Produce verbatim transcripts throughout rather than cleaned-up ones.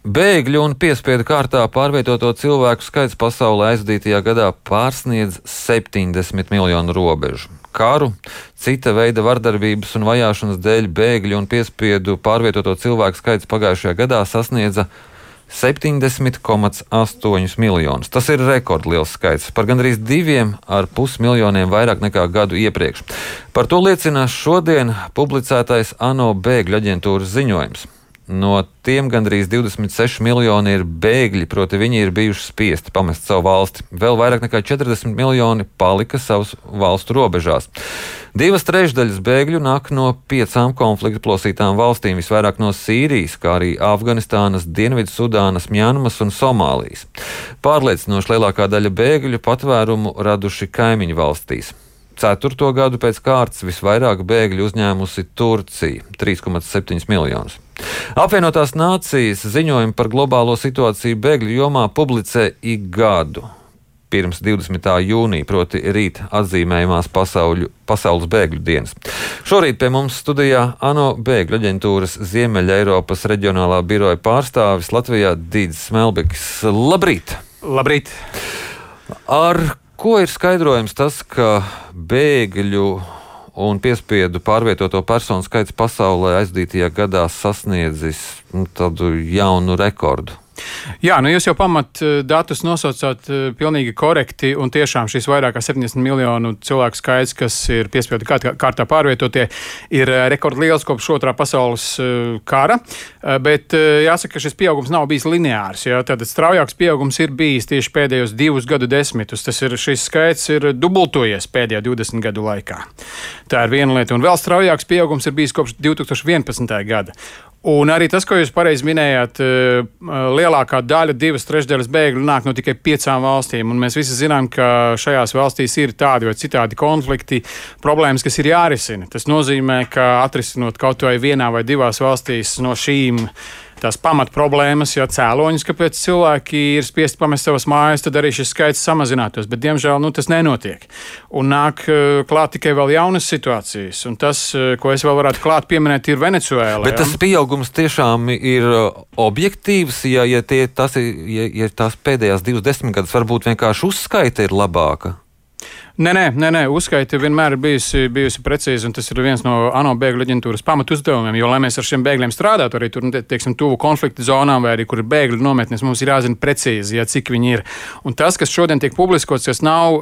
Bēgļu un piespiedu kārtā pārvietoto cilvēku skaits pasaulē aizdītajā gadā pārsniedz septiņdesmit miljonu robežu. Karu, cita veida vardarbības un vajāšanas dēļ bēgļu un piespiedu pārvietoto cilvēku skaits pagājušajā gadā sasniedza septiņdesmit komats astoņus miljonus. Tas ir rekordliels skaits, par gandrīz diviem ar pus miljoniem vairāk nekā gadu iepriekš. Par to liecina šodien publicētais ANO bēgļu aģentūras ziņojums. No tiem gandrīz divdesmit seši miljoni ir bēgļi, proti viņi ir bijuši spiesti pamest savu valsti. Vēl vairāk nekā četrdesmit miljoni palika savas valstu robežās. Divas trešdaļas bēgļu nāk no piecām konflikta plosītām valstīm, visvairāk no Sīrijas, kā arī Afganistānas, Dienvidsudānas, Mjanmas un Somālijas. Pārliecinoši lielākā daļa bēgļu patvērumu raduši kaimiņu valstīs. Ceturto gadu pēc kārtas visvairāk bēgļu uzņēmusi Turcija - trīs komats septiņi miljonus. Apvienotās nācijas ziņojumu par globālo situāciju bēgļu jomā publicē ik gadu. Pirms divdesmitā jūnija, proti rīt atzīmējumās pasauļu, pasaules bēgļu dienas. Šorīt pie mums studijā ANO bēgļu aģentūras Ziemeļa Eiropas reģionālā biroja pārstāvis Latvijā Dīdzis Smelbekis. Labrīt! Labrīt! Ar ko ir skaidrojams tas, ka bēgļu un piespiedu pārvietoto personu skaits pasaulē aizdītajā gadā sasniedzis nu, tādu jaunu rekordu? Jā, nu jūs jau pamat datus nosaucāt pilnīgi korekti, un tiešām šis vairāk kā septiņdesmit miljonu cilvēku skaits, kas ir piespiedu kārtā pārvietotie, ir rekordliels kopš otrā pasaules kara, bet jāsaka, ka šis pieaugums nav bijis lineārs. Jā, tātad straujāks pieaugums ir bijis tieši pēdējos divus gadu desmitus. Tas ir, šis skaits ir dubultojies pēdējo divdesmit gadu laikā. Tā ir viena lieta, un vēl straujāks pieaugums ir bijis kopš divi tūkstoši vienpadsmitā gada. Un arī tas, ko jūs pareizi minējāt, lielākā daļa, divas trešdaļas bēgļu nāk no tikai piecām valstīm. Un mēs visi zinām, ka šajās valstīs ir tādi vai citādi konflikti, problēmas, kas ir jārisina. Tas nozīmē, ka atrisinot kaut vai vienā vai divās valstīs no šīm tās pamat problēmas, ja cēloņus, kāpēc cilvēki ir spiesti pamest savas mājas, tad arī šis skaits samazinātos. Bet, diemžēl, nu, tas nenotiek. Un nāk klāt tikai vēl jaunas situācijas. Un tas, ko es vēl varētu klāt pieminēt, ir Venecuēla. Bet tas pieaugums tiešām ir objektīvs, ja, ja, tie, tas ir, ja, ja tās pēdējās divas desmitgades varbūt vienkārši uzskaita ir labāka? Nē, nē, nē, nē, uzskaita vienmēr ir bijusi, bijusi precīzi, un tas ir viens no ANO bēgļu aģentūras pamatu uzdevumiem, jo, lai mēs ar šiem bēgļiem strādātu, arī tur, teiksim, tuvu konflikta zonām vai arī, kur ir bēgļu nometnes, mums ir jāzina precīzi, ja, cik viņi ir. Un tas, kas šodien tiek publiskots, kas nav,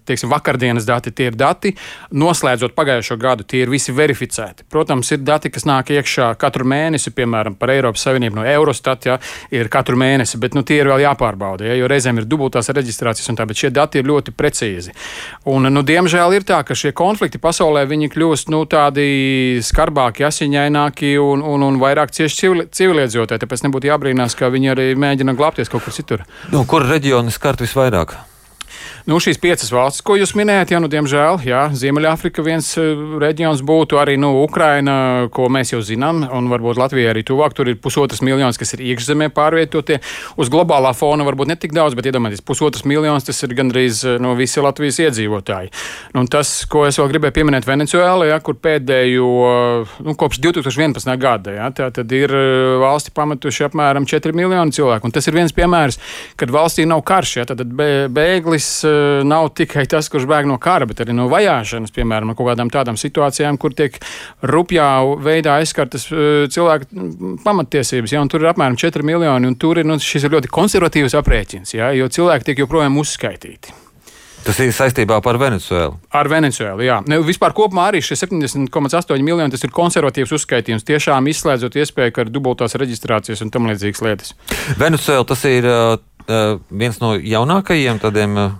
teiksim, vakardienas dati, tie ir dati, noslēdzot pagājušo gadu, tie ir visi verificēti. Protams, ir dati, kas nāk iekšā katru mēnesi, piemēram, par Eiropas Savienību no Eurostat, ja, ir katru mēnesi, bet, nu, tie ir vēl jāpārbauda, ja, jo reizēm ir dubultās reģistrācijas un tā, bet šie dati ir ļoti precīzi. Un, nu, diemžēl ir tā, ka šie konflikti pasaulē viņi kļūst nu, tādi skarbāki, asiņaināki un, un, un vairāk cieši civili, civiliedzīvotāji. Tāpēc nebūtu jābrīnās, ka viņi arī mēģina glābties kaut kur citur. Nu, kur reģioni skart visvairāk? Nu, šīs piecas valstis, ko jūs minējāt, jā, nu, diemžēl, jā, Ziemeļāfrika viens reģions būtu, arī nu, Ukraina, ko mēs jau zinām, un varbūt Latvija arī tuvāk. Tur ir pusotras miljonas, kas ir iekšzemē pārvietotie. Uz globālā fona varbūt ne tik daudz, bet iedomājieties, pusotras miljonas, tas ir gandrīz no visi Latvijas iedzīvotāji. Nu, tas, ko es vēl gribēju pieminēt Venecuēla, jā, kur pēdējo, nu, kopš divi tūkstoši vienpadsmitā gada, jā, tā tad ir valsti pametuši apmēram četri miljoni cilvēku. Un tas ir viens piemērs, kad valstī nav karš, jā, tad bēglis nav tikai tas, kurš bēg no kara, bet arī no vajāšanas, piemēram, no kaut kādām tādām situācijām, kur tiek rupjā veidā aizskartas cilvēku pamattiesības, ja, un tur ir apmēram četri miljoni, un tur ir, nu, šis ir ļoti konservatīvs aprēķins, ja, jo cilvēki tiek joprojām uzskaitīti. Tas ir saistībā par Venecuēlu. Ar Venecuēlu, jā. Ne, vispār kopumā arī šie septiņdesmit komats astoņi miljoni, tas ir konservatīvs uzskaitījums, tiešām izslēdzot iespēju, ka ir dubultās reģistrācijas un tam līdzīgas lietas. Venecuēla tas ir uh, viens no jaunākajiem tādiem uh,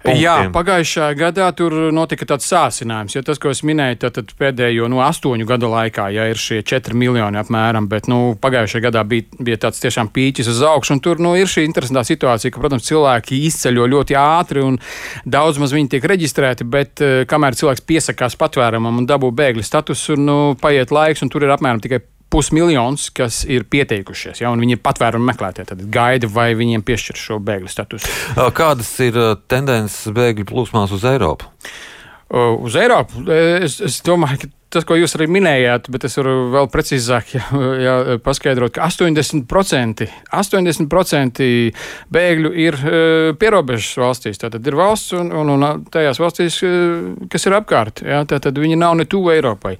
punktiem. Jā, pagājušā gadā tur notika tāds sāsinājums, jo tas, ko es minēju, tad pēdējo no astoņu gadu laikā, ja ir šie četri miljoni apmēram, bet, nu, pagājušajā gadā bija, bija tāds tiešām pīķis uz augšu, un tur, nu, ir šī interesantā situācija, ka, protams, cilvēki izceļo ļoti ātri, un daudz maz viņi tiek reģistrēti, bet kamēr cilvēks piesakās patvērumam un dabū bēgļa statusu, nu, paiet laiks, un tur ir apmēram tikai pusmiljons, kas ir pieteikušies, ja, un viņi ir patvērumu meklētāji, tad gaida, vai viņiem piešķir šo bēgļu statusu. Kādas ir tendences bēgļu plūsmās uz Eiropu? Uz Eiropu es, es domāju, ka tas, ko jūs arī minējāt, bet es varu vēl precīzāk jā, jā, paskaidrot, ka astoņdesmit procenti, astoņdesmit procenti bēgļu ir pierobežas valstīs. Tātad ir valsts un, un, un tajās valstīs, kas ir apkārt. Jā, tātad viņi nav ne tuvu Eiropai.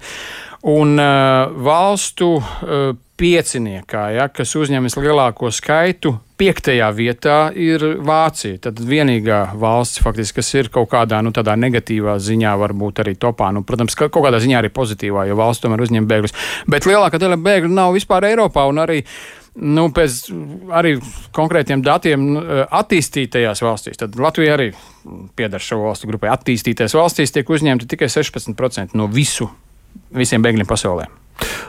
Un uh, valstu uh, pieciniekā, ja, kas uzņemas lielāko skaitu, piektajā vietā ir Vācija. Tad vienīgā valsts, faktiski, kas ir kaut kādā nu, tādā negatīvā ziņā, varbūt arī topā. Nu, protams, ka kaut kādā ziņā arī pozitīvā, jo valsts tomēr uzņem bēgļus. Bet lielākā daļa bēgļu nav vispār Eiropā un arī. Nu, pēc arī konkrētiem datiem attīstītajās valstīs, tad Latvija arī pieder šo valstu grupai. Attīstītajās valstīs tiek uzņemti tikai sešpadsmit procenti no visu, visiem bēgļiem pasaulē.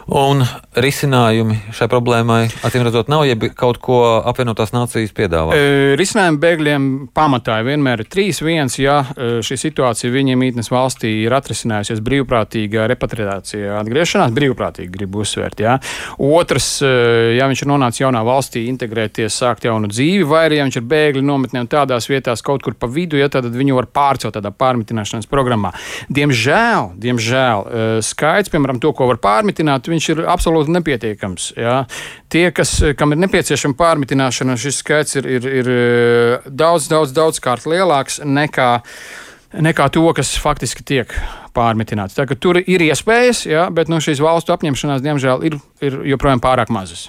Un risinājumi šai problēmai, acīm redzot, nav, ja kaut ko apvienotās nācijas piedāvā? E, risinājumi bēgļiem pamatā vienmēr ir trīs. Viens, ja šī situācija viņiem mītnes valstī ir atrisinājusies brīvprātīgā repatriācija atgriešanās, brīvprātīgi gribu uzsvērt, jā. Otrs, ja viņš ir nonācis jaunā valstī, integrēties, sākt jaunu dzīvi, vai arī, ja viņš ir bēgļi nometnē un tādās vietās kaut kur pa vidu, ja tad viņu var pārcelt tādā pārmitināšanas programmā. Diemžēl, diemžēl, skaits, piemēram, to, ko var pārmitināt, viņš ir absolūti nepietiekams. Jā. Tie, kas, kam ir nepieciešama pārmitināšana, šis skaits ir, ir, ir daudz, daudz, daudz kārt lielāks nekā, nekā to, kas faktiski tiek pārmitināts. Tā, tur ir iespējas, jā, bet no šīs valstu apņemšanās, diemžēl, ir, ir joprojām pārāk mazas.